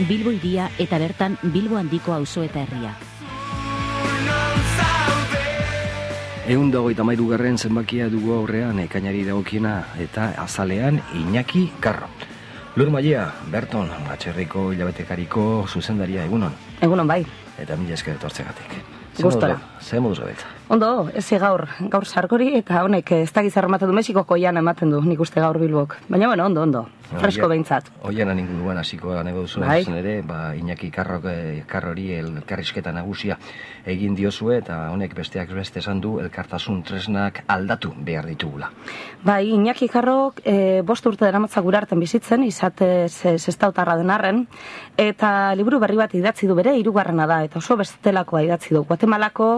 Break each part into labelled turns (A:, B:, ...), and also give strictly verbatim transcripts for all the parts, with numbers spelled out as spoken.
A: Bilbo hiria eta bertan Bilbo handiko auzo eta herria.
B: Ehun dago eta mairu garren zenbakia dugu aurrean ekainari dagokiena eta azalean Iñaki Karro. Lur Maia, Berton, Atxerriko hilabetekariko zuzendaria, egunon.
C: Egunon bai.
B: Eta mila esker etortzegatik.
C: Gustora.
B: Ze moduz gabiltza?
C: Ondo, ez gaur, gaur sarkori eta honek ez dakiz ematen du Mexikoko oian ematen du, nik uste gaur Bilbok. Baina bueno, ondo, ondo, fresko behintzat.
B: Oianan inguruan hasiko nego duzu,
C: bai.
B: Ere, ba, Iñaki Karrok, Karrori elkarrizketa nagusia egin diozue eta honek besteak beste esan du elkartasun tresnak aldatu behar ditugula.
C: Bai, Iñaki Karrok e, bost urte deramatza gure arten bizitzen, izatez sestautarra den arren, eta liburu berri bat idatzi du bere, hirugarrena da, eta oso bestelakoa idatzi du. Guatemalako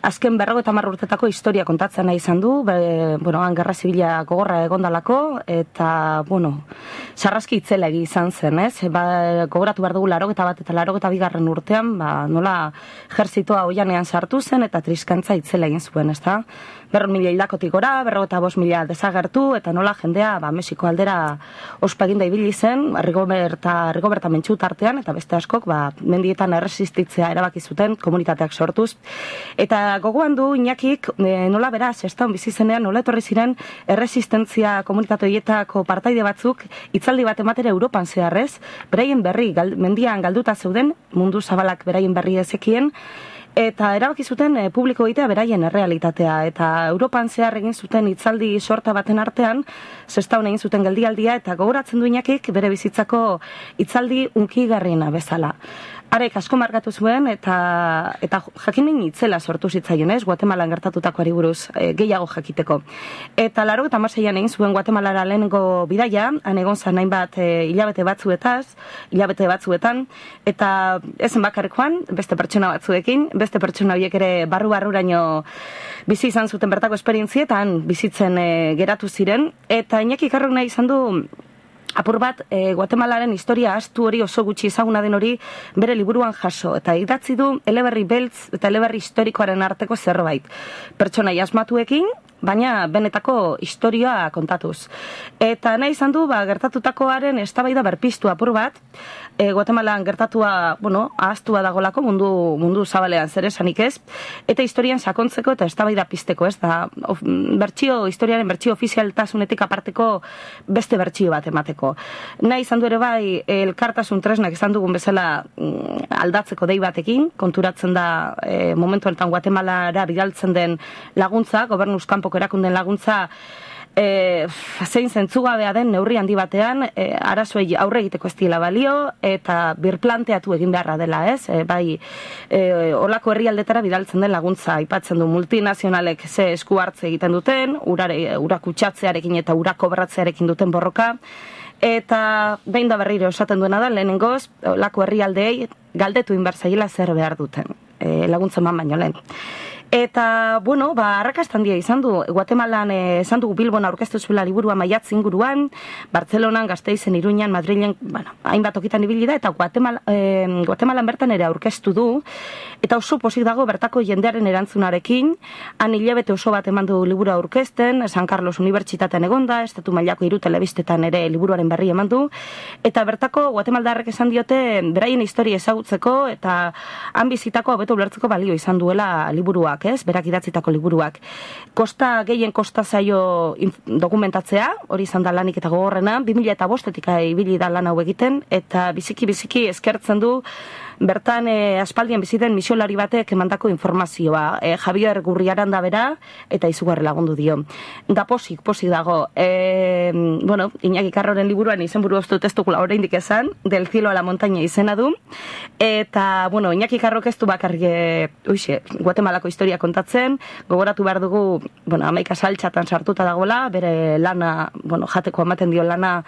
C: azken berrogeita hamar urtetako historia kontatzen nahi izan du, be, bueno, han gerra zibila gogorra egondalako, eta, bueno, sarraski itzelegi izan zen, ez? Ba, gogoratu behar dugu larogeta bat eta larogeta bigarren urtean, ba, nola ejerzitoa oianean sartu zen, eta triskantza itzela egin zuen, ez da? Berron mila hildakotik gora, berrogeta bost mila desagertu, eta nola jendea, ba, Mexiko aldera ospa eginda ibili zen, Rigoberta, Rigoberta mentxu tartean, eta beste askok, ba, mendietan erresistitzea erabaki zuten komunitateak sortuz. Eta gogoan du Iñakik e, nola beraz, ez da bizi zenean, nola etorri ziren erresistentzia komunitate horietako partaide batzuk hitzaldi bat ematere Europan zeharrez, beraien berri, gal, mendian galduta zeuden, mundu zabalak beraien berri ezekien, eta erabaki zuten e, publiko egitea beraien errealitatea, eta Europan zehar egin zuten hitzaldi sorta baten artean, Sestaon egin zuten geldialdia, eta gogoratzen du Iñakik bere bizitzako hitzaldi unkigarriena bezala. Arek asko markatu zuen, eta, eta jakinen itzela sortu zitzaion, ez? Guatemalan gertatutakoari buruz e, gehiago jakiteko. Eta laro eta hamaseian egin zuen Guatemalara lehenengo bidaia, han egon zan hainbat e, hilabete batzuetaz, hilabete batzuetan, eta ezen bakarrekoan, beste pertsona batzuekin, beste pertsona horiek ere barru-barruraino bizi izan zuten bertako esperientzietan bizitzen e, geratu ziren, eta Iñaki Karrok nahi izan du apur bat, e, Guatemalaren historia astu hori oso gutxi ezaguna den hori bere liburuan jaso, eta idatzi du eleberri beltz eta eleberri historikoaren arteko zerbait. Pertsonai asmatuekin, baina benetako historia kontatuz. Eta nahi izan du, ba, gertatutakoaren eztabaida berpiztu apur bat, e, Guatemalan gertatua, bueno, ahaztua dagolako mundu, mundu zabalean zer esanik ez, eta historian sakontzeko eta eztabaida pizteko, ez da, of, bertsio, historiaren bertsio ofizialtasunetik aparteko beste bertsio bat emateko. Nahi izan du ere bai, elkartasun tresnak izan dugun bezala mm, aldatzeko dei batekin, konturatzen da e, momentu honetan Guatemalara bidaltzen den laguntza, gobernuz kanpoko erakunden laguntza, E, zein zentzugabea den neurri handi batean, e, arazoei aurre egiteko ez diela balio, eta birplanteatu egin beharra dela, ez? E, bai, e, olako herrialdetara bidaltzen den laguntza, aipatzen du multinazionalek ze esku hartze egiten duten, urare, urakutxatzearekin eta urakobratzearekin duten borroka, eta behin da berriro esaten duena da, lehenengoz, olako herrialdeei galdetu inbertzaila zer behar duten, e, laguntza eman baino lehen. Eta, bueno, ba, arrakasta handia izan du, Guatemalan eh, esan dugu Bilbon aurkeztu zuela liburua maiatz inguruan, Bartzelonan, Gasteizen, Iruñan, Madrilen, bueno, hainbat okitan ibili da, eta Guatemala, eh, Guatemalan bertan ere aurkeztu du, eta oso pozik dago bertako jendearen erantzunarekin, han hilabete oso bat eman du liburu aurkezten, San Carlos Unibertsitatean egonda, estatu mailako hiru telebistetan ere liburuaren berri eman du, eta bertako Guatemaldarrek esan diote beraien historia ezagutzeko, eta han bizitako hobeto ulertzeko balio izan duela liburuak, ez, berak idatzitako liburuak. Kosta gehien kosta zaio dokumentatzea, hori izan da lanik eta gogorrena, bi mila eta bostetik ibili da lan hau egiten, eta biziki-biziki eskertzen du bertan e, aspaldian biziten misiolari batek emandako informazioa. E, Javier Gurriaranda bera, eta izugarri lagundu dio. Da posik, posik dago. E, bueno, Iñaki Karroren liburuan izenburu ez dut ez dugula oraindik esan, Del cielo a la montaña izena du. Eta, bueno, Iñaki Karrok ez du bakarrik, uixe, Guatemalako historia kontatzen, gogoratu behar dugu, bueno, hamaika saltxatan sartuta dagoela, bere lana, bueno, jateko ematen dio lana,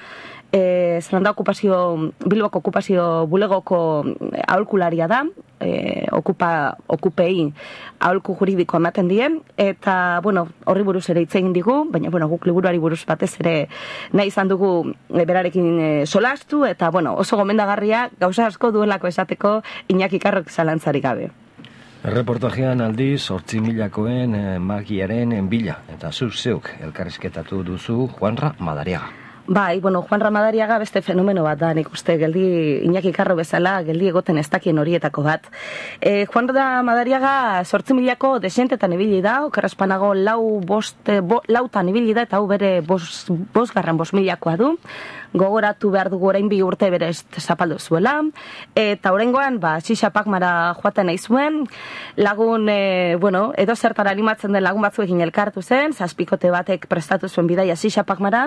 C: E, Zeranda okupazio, Bilboko okupazio bulegoko aholkularia da, e, okupa, okupei aholku juridiko ematen die, eta, bueno, horri buruz ere hitz egin digu, baina, bueno, guk liburuari buruz batez ere nahi izan dugu e, berarekin e, solastu, eta, bueno, oso gomendagarria, gauza asko duelako esateko Iñaki Karrok zalantzarik gabe.
B: Erreportajean aldiz, hortzi milakoen eh, magiaren bila, eta zuk zeuk elkarrizketatu duzu Juanra Madariaga.
C: Bai, bueno, Juan Ramadariaga beste fenomeno bat da, nik uste, geldi Iñaki Karro bezala, geldi egoten ez dakien horietako bat. E, Juan Ramadariaga sortzi milako desentetan ibili da, okerrespanago lau boste, bo, lautan ibili da, eta hau bere bos, bosgarren bos milakoa du. Gogoratu behar dugu orain bi urte bere zapaldu zuela, eta oraingoan, ba, Xixa Pakmara joaten nahi zuen, lagun, e, bueno, edo zertara animatzen den lagun batzuekin elkartu zen, zazpikote batek prestatu zuen bidaia Xixa Pakmara,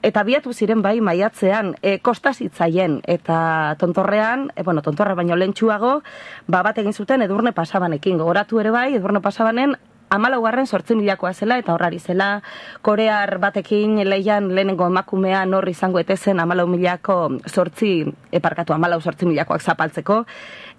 C: eta biatu ziren bai maiatzean, e, kostazitzaien, eta tontorrean, e, bueno, tontorra baino lentsuago, ba, bat egin zuten Edurne Pasabanekin, gogoratu ere bai, Edurne Pasabanen, Hamalaugarren sortzi milakoa zela eta horrari zela korear batekin leian lehenengo emakumea nor izango etezen hamalau milako sortzi, eparkatu hamalau sortzi milakoak zapaltzeko.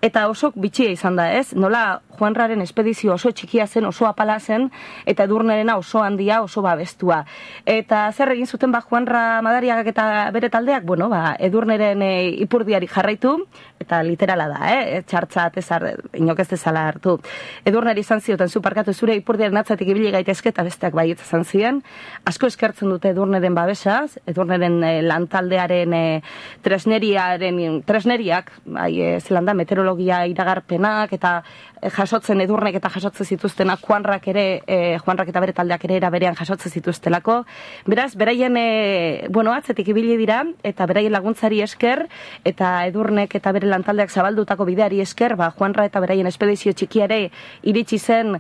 C: Eta oso bitxia izan da ez, nola Juanraren espedizio oso txikia zen, oso apala zen, eta Edurnerena oso handia, oso babestua. Eta zer egin zuten ba Juanra Madariagak eta bere taldeak, bueno, ba, Edurneren e, ipurdiari jarraitu, eta literala da, eh? Txartzat ezar, inok ez dezala hartu. Edurneri izan zioten, zu parkatu zure ipurdiaren atzatik ibili gaitezke eta besteak baietz izan ziren. Asko eskertzen dute Edurneren babesaz, Edurneren e, lantaldearen e, tresneriaren, tresneriak, bai, e, zelanda, meteorologia iragarpenak, eta e, jasotzen Edurnek eta jasotzen zituztenak Juanrak ere, e, Juanrak eta bere taldeak ere era berean jasotzen zituztelako. Beraz, beraien, e, bueno, atzetik ibili dira, eta beraien laguntzari esker, eta Edurnek eta bere lantaldeak zabaldutako bideari esker, ba, Juanra eta beraien espedizio txikiare iritsi zen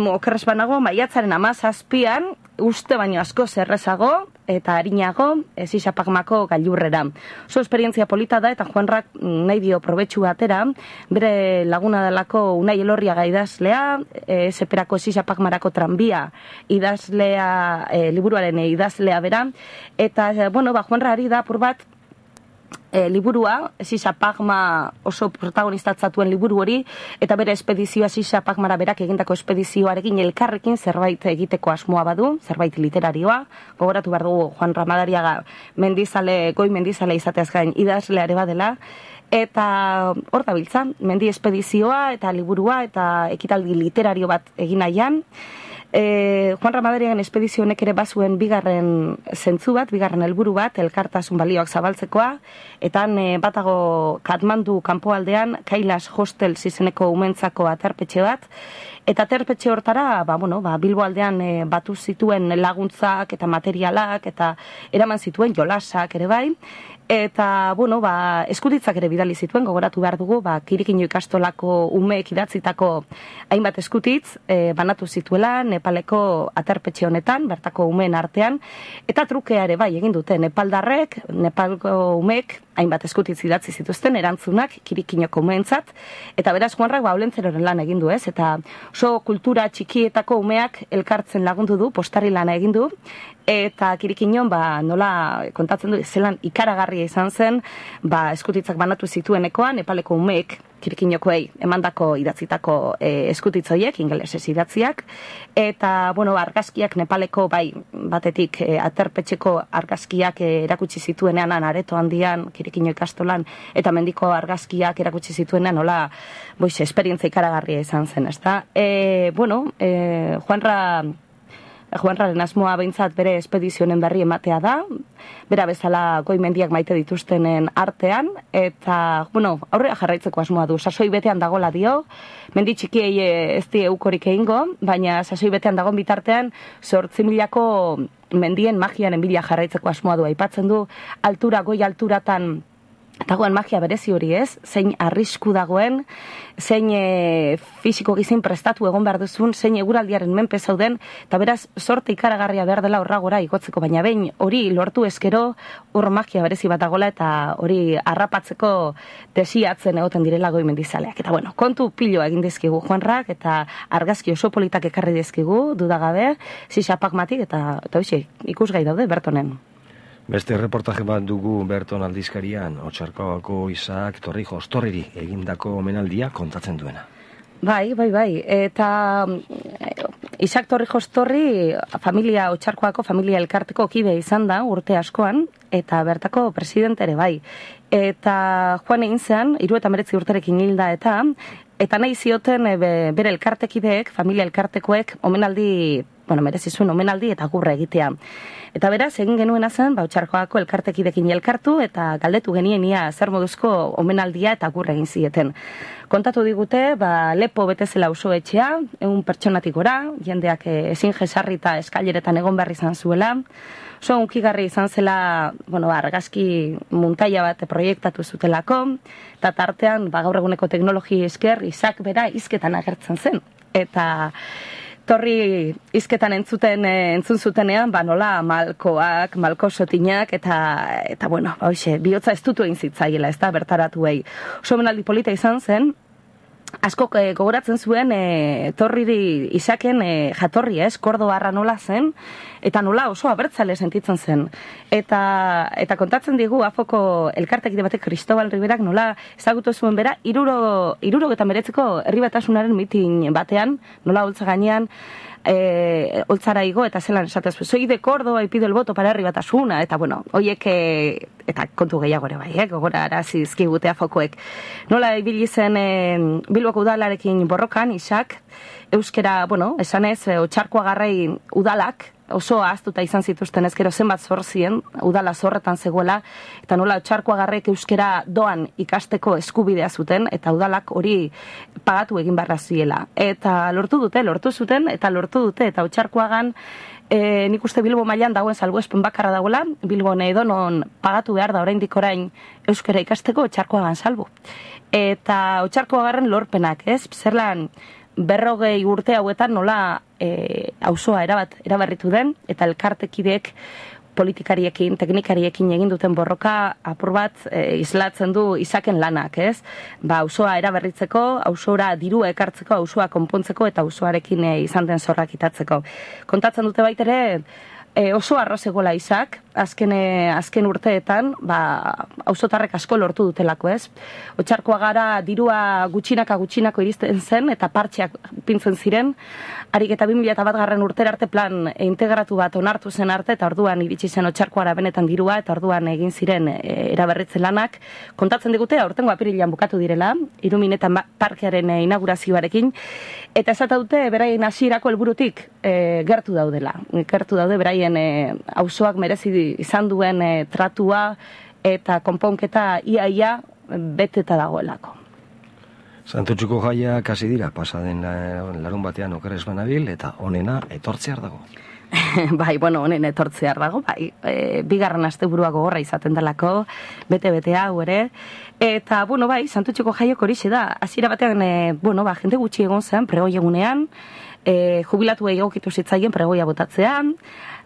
C: okerrespanago, maiatzaren hamazazpian, uste baino asko zerrezago eta arinago Xixa Pakmako gailurrera. Oso esperientzia polita da eta Juanrak nahi dio probetxu batera, bere laguna delako Unai Elorriaga idazlea, e, seperako Xixa Pakmarako tranbia idazlea, e, liburuaren idazlea bera, eta, bueno, ba, Juanra ari da apur bat, E, liburua, Xixa Pakma oso protagonistatzatuen liburu hori, eta bere espedizioa Xixa Pakmara berak egindako espedizioarekin elkarrekin zerbait egiteko asmoa badu, zerbait literarioa. Gogoratu behar dugu Juan Ramadariaga mendizale, goi mendizale izateaz gain idazleare badela, eta hor da biltza, mendi espedizioa eta liburua eta ekitaldi literario bat egin nahian. E, Juan Ramadariagan espedizio honek ere bazuen bigarren zentzu bat, bigarren helburu bat, elkartasun balioak zabaltzekoa, eta e, batago Katmandu kanpoaldean Kailas Hostel izeneko umentzako aterpetxe bat, eta aterpetxe hortara, ba, bueno, ba, Bilbo aldean e, batu zituen laguntzak eta materialak, eta eraman zituen jolasak ere bai, eta, bueno, ba, eskutitzak ere bidali zituen, gogoratu behar dugu, ba, Kirikino ikastolako umeek idatzitako hainbat eskutitz, e, banatu zituela Nepaleko aterpetxe honetan, bertako umeen artean, eta trukea ere bai egin dute Nepaldarrek, Nepalko umeek hainbat eskutitz idatzi zituzten erantzunak Kirikinoko umeentzat, eta beraz Juanrak ba olentzeroren lan egin du, ez? Eta oso kultura txikietako umeak elkartzen lagundu du, postari lana egin du, eta Kirikinon ba nola kontatzen du zelan ikaragarria izan zen, ba eskutitzak banatu zituenekoan Nepaleko umeek Kirikinokoei emandako idatzitako e, eskutitzoiek, ingelesez idatziak, eta, bueno, argazkiak Nepaleko, bai, batetik e, aterpetxeko argazkiak e, erakutsi zituenean, areto handian, Kirikino ikastolan, eta mendiko argazkiak erakutsi zituenean, nola, boize, esperientzia ikaragarria izan zen, ez da? E, bueno, e, Juanra... Juanraren asmoa behintzat bere espedizionen berri ematea da, bera bezala goi mendiak maite dituztenen artean, eta, bueno, aurrera jarraitzeko asmoa du, sasoi betean dagola dio, mendi txikiei ez die eukorik egingo, baina sasoi betean dagoen bitartean, zortzi milako mendien magiaren bila jarraitzeko asmoa du, aipatzen du, altura, goi alturatan, dagoen magia berezi hori ez, zein arrisku dagoen, zein e, fisiko gizin prestatu egon behar duzun, zein eguraldiaren menpe zauden, eta beraz sorte ikaragarria behar dela horra gora igotzeko, baina behin hori lortu eskero, hor magia berezi bat dagoela, eta hori harrapatzeko desiatzen egoten direla goi mendizaleak. Eta bueno, kontu piloa egin dizkigu Juanrak, eta argazki oso politak ekarri dizkigu, dudagabe, Xixa Pakmatik, eta, eta hoxe, ikusgai daude Bertonen.
B: Beste reportaje bat dugu Berton aldizkarian, Otxarkoagako Isaac Torrijos Torriri egindako omenaldia kontatzen duena.
C: Bai, bai, bai. Eta Isaac Torrijos Torri familia Otxarkoako familia elkarteko kide izan da urte askoan, eta bertako presidente ere bai. Eta joan egin zen, hiru eta hemeretzi urterekin hilda eta, eta nahi zioten e, bere elkartekideek, familia elkartekoek, omenaldi bueno, merezi zuen omenaldi eta agurra egitea. Eta beraz, egin genuena zen, ba, Otxarkoagako elkartekidekin elkartu eta galdetu genien ia zer moduzko omenaldia eta agurra egin zieten. Kontatu digute, ba, lepo betezela oso etxea, egun pertsonatik gora, jendeak ezin jesarri eta eskaileretan egon behar izan zuela, oso unkigarri izan zela, bueno, argazki muntaia bat proiektatu zutelako, eta tartean, ba, gaur eguneko teknologi esker, Isak bera hizketan agertzen zen. Eta torri hizketan entzuten entzun zutenean, ba nola malkoak, malko sotinak eta eta bueno, hoxe, bihotza estutu egin zitzaiela, ezta bertaratuei. Oso omenaldi polita izan zen. Asko e, gogoratzen zuen e, torriri Isaken e, jatorri, ez, Kordobarra nola zen, eta nola oso abertzale sentitzen zen. Eta, eta kontatzen digu, afoko elkartekide batek Cristobal Riberak nola ezagutu zuen bera, iruro, iruro eta meretzeko herri batasunaren mitin batean, nola holtza gainean, E, holtzara igo eta zelan esatez, soy de Córdoba y pido el voto para herri batasuna, eta bueno, hoiek e, eta kontu gehiago ere bai, eh, gogora arazi zizkigutea fokoek. Nola ibili zen e, Bilboko udalarekin borrokan, Isak, euskera, bueno, esanez, e, Otxarkoagarrei udalak, oso ahaztuta izan zituzten ezkero zenbat zor zien, udala zorretan zegoela, eta nola Otxarkoagarrek euskera doan ikasteko eskubidea zuten, eta udalak hori pagatu egin barra ziela. Eta lortu dute, lortu zuten, eta lortu dute, eta Otxarkoagan, e, nik uste Bilbo mailan dagoen salbuespen bakarra dagoela, Bilbo edonon pagatu behar da oraindik orain euskera ikasteko Otxarkoagan salbu. Eta Otxarkoagarren lorpenak, ez? Zerlan, berrogei urte hauetan nola e, auzoa erabat eraberritu den, eta elkartekideek politikariekin, teknikariekin egin duten borroka apur bat e, islatzen du Isaken lanak, ez? Ba, auzoa eraberritzeko, auzora dirua ekartzeko, auzoa konpontzeko eta auzoarekin e, izan den zorrak itatzeko. Kontatzen dute baitere, e, oso arroz egola Isak, azken, e, azken urteetan, ba, auzotarrek asko lortu dutelako, ez? Otxarkoagara dirua gutxinaka gutxinako iristen zen, eta partxeak pintzen ziren, harik eta bi mila bat garren urtera arte plan integratu bat onartu zen arte, eta orduan iritsi zen Otxarkoara benetan dirua, eta orduan egin ziren e, eraberritze lanak. Kontatzen digute, aurtengo apirilean bukatu direla, Iruminetan parkearen e, inaugurazioarekin, eta esata dute, beraien hasierako helburutik e, gertu daudela. Gertu daude, beraien e, auzoak merezi izan duen e, tratua eta konponketa ia-ia beteta dagoelako.
B: Santutxuko jaia kasi dira, pasaden larun batean okeres banabil, eta onena etortzear dago.
C: Bai, bueno, honen etortzear dago, bai, e, bigarren asteburua gogorra izaten delako, bete-bete hau ere, eta, bueno, bai, Santutxuko jaiok horixe da, hasiera batean, e, bueno, ba, jende gutxi egon zen, pregoi egunean, e, jubilatu egokitu zitzaien pregoia botatzean,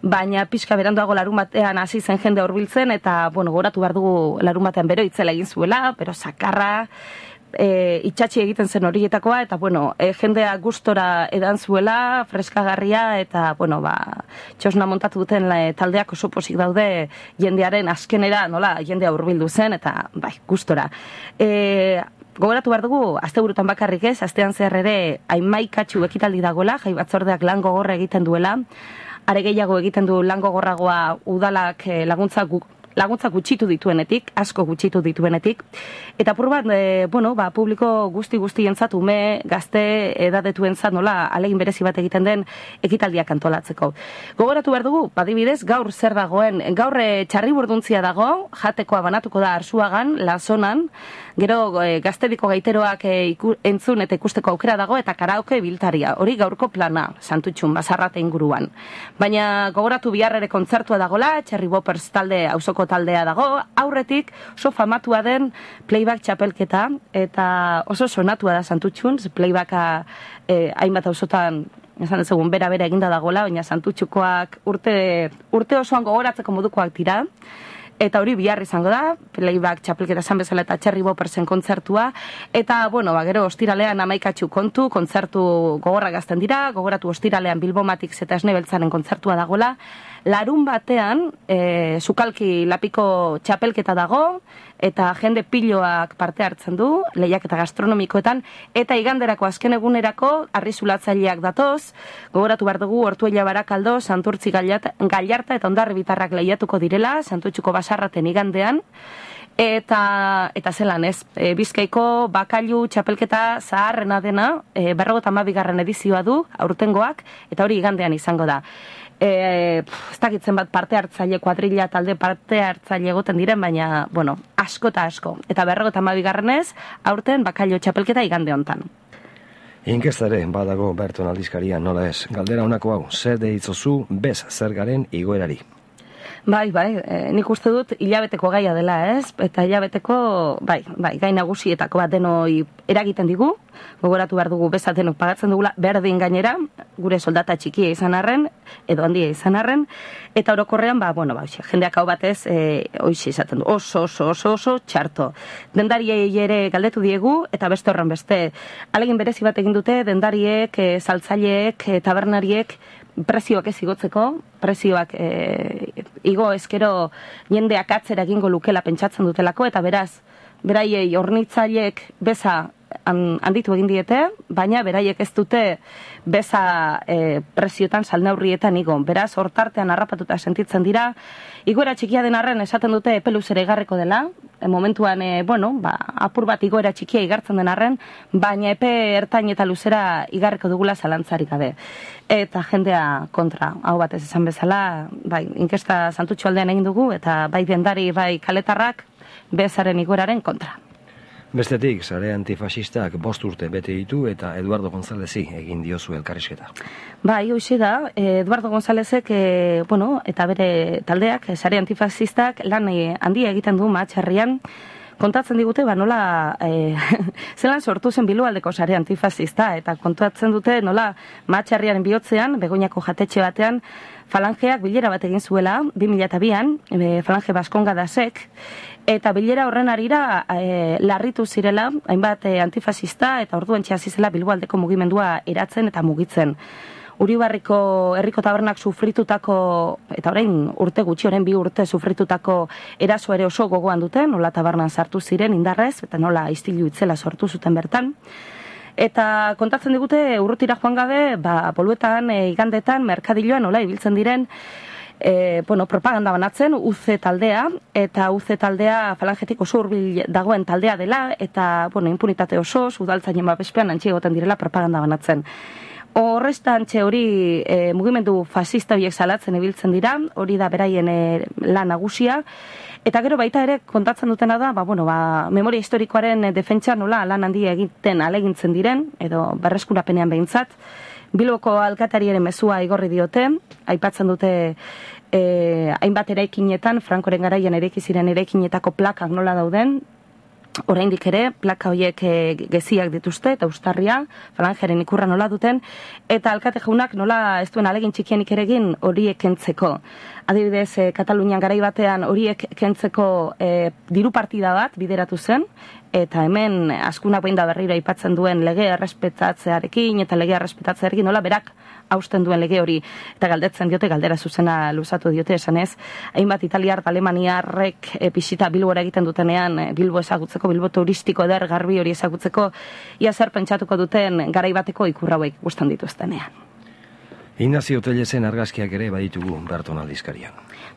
C: baina pixka beranduago larun batean hasi zen jende hurbiltzen, eta, bueno, goratu behar dugu larun batean bero itzela egin zuela, pero sakarra, e, itxatxi egiten zen horietakoa, eta, bueno, e, jendea gustora edan zuela, freskagarria, eta, bueno, ba, txosna montatu duten la, taldeak oso posik daude jendearen azkenera, nola, jendea hurbildu zen, eta, bai, gustora. E, Gogoratu behar dugu, asteburutan bakarrik ez, astean zehar ere hamaikatxu ekitaldi dagoela, jai batzordeak lan gogorra egiten duela, are gehiago egiten du lan gogorragoa udalak laguntza gu, laguntza gutxitu dituenetik, asko gutxitu dituenetik, eta apur bat, e, bueno, ba, publiko guzti guzti entzat, ume, gazte, edadetu entzat, nola, alegin berezi bat egiten den ekitaldiak antolatzeko. Gogoratu behar dugu, badibidez, gaur zer dagoen, gaur e, txarri burduntzia dago, jatekoa banatuko da Arzuagan, Lazonan, gero e, gaztediko gaiteroak e, iku, entzun eta ikusteko aukera dago, eta karaoke biltaria, hori gaurko plana, Santutxun, Basarrate inguruan. Baina gogoratu bihar ere kontzertua dagola, Cherry Boppers talde, auzoko taldea dago, aurretik oso famatua den playback txapelketa, eta oso sonatua da Santutxun, playbacka eh, hainbat auzotan esan ezegun bera-bera eginda dagola, baina Santutxukoak urte, urte osoan gogoratzeko modukoak dira, eta hori bihar izango da, playback txapelketa esan bezala eta Cherry Boppersen kontzertua, eta, bueno, ba, gero ostiralean hamaikatxu kontu, kontzertu gogorra gazten dira, gogoratu ostiralean Bilbomatix eta Esnebeltzaren kontzertua dagoela, larun batean, e, Sukalki lapiko txapelketa dago, eta jende piloak parte hartzen du, lehiaketa gastronomikoetan, eta iganderako azken egunerako arrizulatzaileak datoz, gogoratu behar dugu Ortuella Barakaldo, Santurtzi Gallarta eta Hondarri Bitarrak lehiatuko direla, Santutxuko Basarraten igandean, Eta, eta zelan ez, e, Bizkaiko bakailu txapelketa zaharrena dena, e, berrogeita hamabigarren edizioa du, aurtengoak, eta hori igandean izango da. E, pff, ez dakitzen bat parte hartzaile, kuadrilla talde parte hartzaile egoten diren, baina, bueno, asko eta asko. Eta berrogeita hamabigarrenez, aurten bakailu txapelketa igande hontan.
B: Inkestare, badago Berton aldizkaria, nola ez. Galdera honako hau, zer deitzozu bez zergaren igoerari?
C: Bai, bai, e, nik uste dut hilabeteko gaia dela, ez? Eta hilabeteko, bai, bai, gai nagusietako bat denoi eragiten digu, gogoratu behar dugu bezat denok pagatzen dugula, berdin gainera, gure soldata txikia izan arren, edo handia izan arren, eta orokorrean, ba, bueno, ba, jendeak hau batez, e, oixe izaten du, oso, oso, oso, oso, txarto. Dendariei ere galdetu diegu, eta beste horren beste, alegin berezi bat egin dute, dendariek, e, saltzaileek, e, tabernariek, prezioak ez igotzeko, prezioak e, igo ezkero jendeak atzera egingo lukela pentsatzen dutelako, eta beraz, beraiei hornitzaileek beza handitu egin diete, baina beraiek ez dute beza e, prezioetan salneurrietan igo. Beraz, hortartean harrapatuta sentitzen dira, igoera txikia den arren esaten dute epe luzera igarriko dela, e, momentuan, e, bueno, ba, apur bat igoera txikia igartzen den arren, baina epe ertain eta luzera igarriko dugula zalantzarik gabe. Eta jendea kontra, hau batez esan bezala, bai, inkesta Santutxo aldean egin dugu, eta bai dendari, bai kaletarrak, bezaren igoeraren kontra.
B: Bestetik, sare antifasistak bost urte bete ditu eta Eduardo Gonzálezi egin diozu elkarrizketa.
C: Bai, hoxe da, Eduardo Gonzálezek, e, bueno, eta bere taldeak, sare antifasistak, lan e, handia egiten du Mahatxerrian, kontatzen digute, ba, nola, e, zelan sortu zen Bilboaldeko sare antifasista, eta kontatzen dute, nola, Mahatxerriaren bihotzean, Begoñako jatetxe batean, falangeak bilera bat egin zuela, bi mila bian, e, falange Baskongadasek, eta bilera horren arira e, larritu zirela, hainbat e, antifasista, eta orduan txasizela Bilboaldeko mugimendua eratzen eta mugitzen. Uribarriko herriko tabernak sufritutako, eta orain urte gutxi, orain bi urte sufritutako eraso ere oso gogoan duten, nola tabernan sartu ziren indarrez, eta nola istilu itzela sortu zuten bertan. Eta kontatzen digute, urrutira joan gabe, ba, boluetan, e, igandetan, merkadiloan, nola ibiltzen diren, E, bueno, propaganda banatzen, U C taldea, eta U C taldea falangetik oso hurbil dagoen taldea dela, eta, bueno, impunitate oso, udaltzainen babespean antxe egoten direla propaganda banatzen. Horrestan txe hori e, mugimendu fasista horiek salatzen ibiltzen dira, hori da beraien e, lan nagusia, eta gero baita ere kontatzen dutena da, ba, bueno, ba, memoria historikoaren defentsa nola lan handia egiten alegintzen diren, edo berreskurapenean behintzat, Bilboko alkatariaren mezua igorri diote, aipatzen dute e, hainbat eraikinetan, Frankoren garaian eraiki ziren eraikinetako plakak nola dauden, oraindik ere, plaka horiek e, geziak dituzte, eta ustarria, falangeren ikurra nola duten, eta alkate jaunak nola ez duen alegin txikienik ere egin horiek kentzeko. Adibidez, e, Katalunian garai batean horiek kentzeko e, diru partida bat bideratu zen, eta hemen askunak behin da berriro aipatzen duen legea errespetatzearekin eta legea errespetatzearekin nola berak hausten duen lege hori, eta galdetzen diote, galdera zuzena luzatu diote esanez, hainbat italiar eta alemaniarrek e, pisita Bilbora egiten dutenean, e, Bilbo ezagutzeko, Bilbo turistiko eder garbi hori ezagutzeko, ia zer pentsatuko duten garai bateko ikur hauek gustan dituztenean.
B: Ignacio Tellesen argazkiak ere baditugu Berton aldizkarian.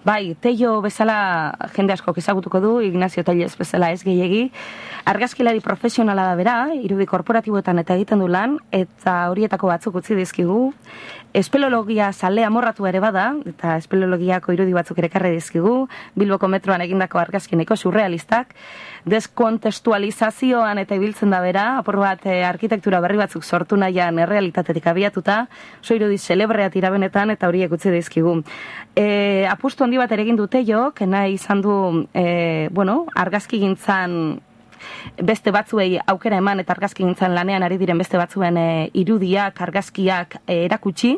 C: Bai, Tello bezala jende askok ezagutuko du, Ignacio Tellez bezala ez gehiegi. Argazkilari profesionala da bera, irudi korporatiboetan eta egiten du lan, eta horietako batzuk utzi dizkigu. Espeleologia zale amorratu ere bada, eta espeleologiako irudi batzuk ere karri dizkigu, Bilboko metroan egindako argazkineko surrealistak, deskontestualizazioan eta ibiltzen da bera, apur bat eh, arkitektura berri batzuk sortu nahian errealitatetik abiatuta, oso irudi celebrea tirabenetan eta horiek utzi dizkigu. E, apustu handi bat ere egin dute jo, kena izan du, e, bueno, argazki gintzan beste batzuei aukera eman eta argazki gintzan lanean ari diren beste batzuen e, irudiak, argazkiak e, erakutsi,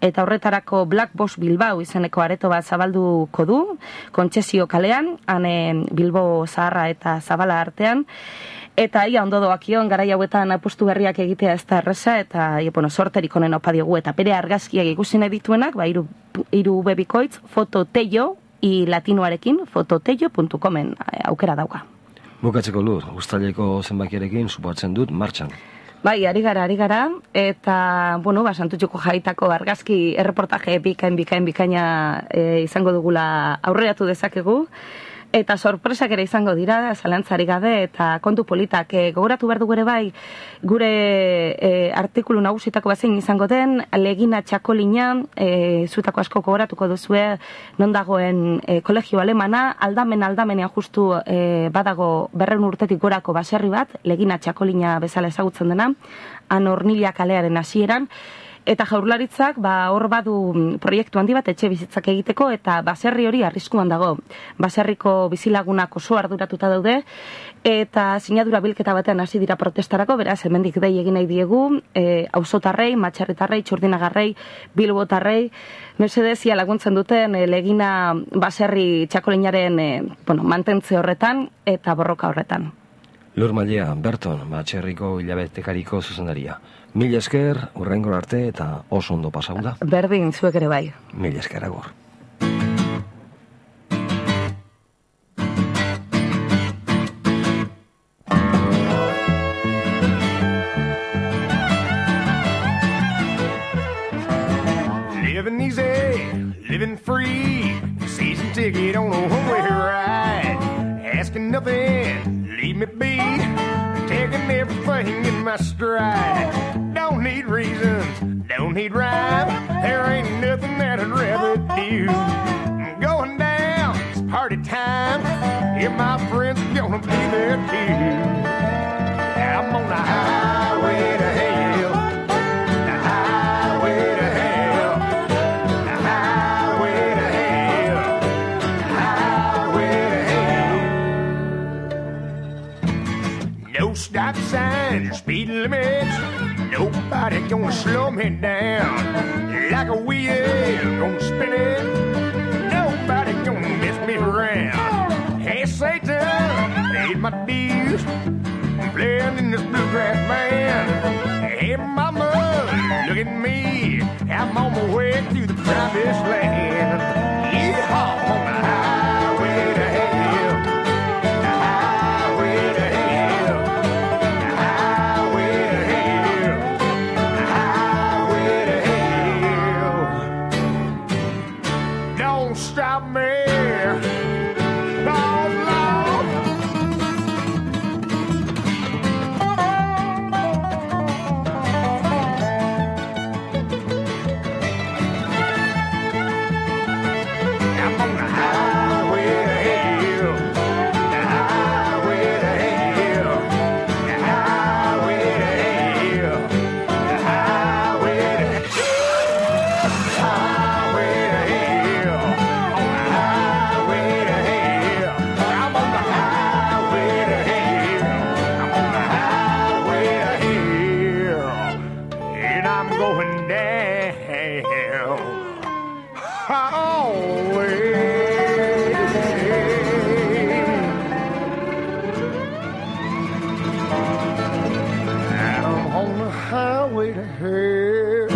C: eta horretarako Black Box Bilbao izeneko areto bat zabalduko du, Kontsezio kalean, han e, Bilbo zaharra eta zabala artean, eta ia ondo doakion, garai hauetan apustu berriak egitea ez da erreza, eta ia, bueno, sorterik onen opa diogu, eta bere argazkiak ikusi nahi dituenak, ba, iru, iru bebikoitz, fototello, i latinoarekin, fototello puntu comen aukera dauka.
B: Bukatzeko lur, uztaileko zenbakiarekin supoatzen dut martxan.
C: Bai, ari gara, ari gara, eta, bueno, ba, Santutxuko jaitako argazki erreportaje bikain, bikain, bikaina e, izango dugula aurreratu dezakegu. eta sorpresak ere izango dira, zalantzari gabe, eta kontu politak. E, gogoratu behar dugu ere bai, gure e, artikulu nagusitako bazein izango den, Legina Txakolina, e, zuetako asko gogoratuko duzue, non dagoen e, kolegio alemana, aldamen aldamenean justu e, badago berreun urtetik gorako baserri bat, Legina Txakolina bezala ezagutzen dena, han Hornilla kalearen hasieran, eta Jaurlaritzak ba hor badu proiektu handi bat etxe bizitzak egiteko eta baserri hori arriskuan dago. Baserriko bizilagunak oso arduratuta daude eta sinadura bilketa batean hasi dira protestarako, beraz hemendik dei egin nahi diegu, eh auzotarrei, Matxarretarrei, Txurdinagarrei, Bilbotarrei, mesedez ia laguntzen duten e, Legina baserri Txakolinaren e, bueno, mantentze horretan eta borroka horretan.
B: Lur Mailea, Berton, Matxerriko hilabetekariko zuzendaria. Mila esker, urrengor arte eta oso ondo pasau da.
C: Berdin, zuek ere bai.
B: Mila esker agor.
D: Living easy, living free, season ticket on a one-way ride, asking nothing, leave me be, taking everything in my stride. Don't need reasons, don't need rhyme, there ain't nothing that I'd rather do. I'm going down, it's party time, yeah, my friends are gonna be there too. I'm on the highway to hell, the highway to hell, the highway to hell, the highway to hell. No stop signs, speed limits, nobody gonna slow me down. Like a wheel, gonna spin it, nobody gonna mess me around. Hey Satan, paid my dues, playing in this bluegrass band. Hey mama, look at me, I'm on my way to the promised land. Yeehaw, I'm on the highway to hell, the highway to hell, the highway to hell, the highway to hell. Don't stop me, oh Lord. I'm on the highway to hell, the highway to hell, the highway to hell, the highway to hell, the highway to hell, on the highway to hell. I'm on the highway to hell, I'm on the highway to hell, and I'm going down. Always. I'm on the highway to hell.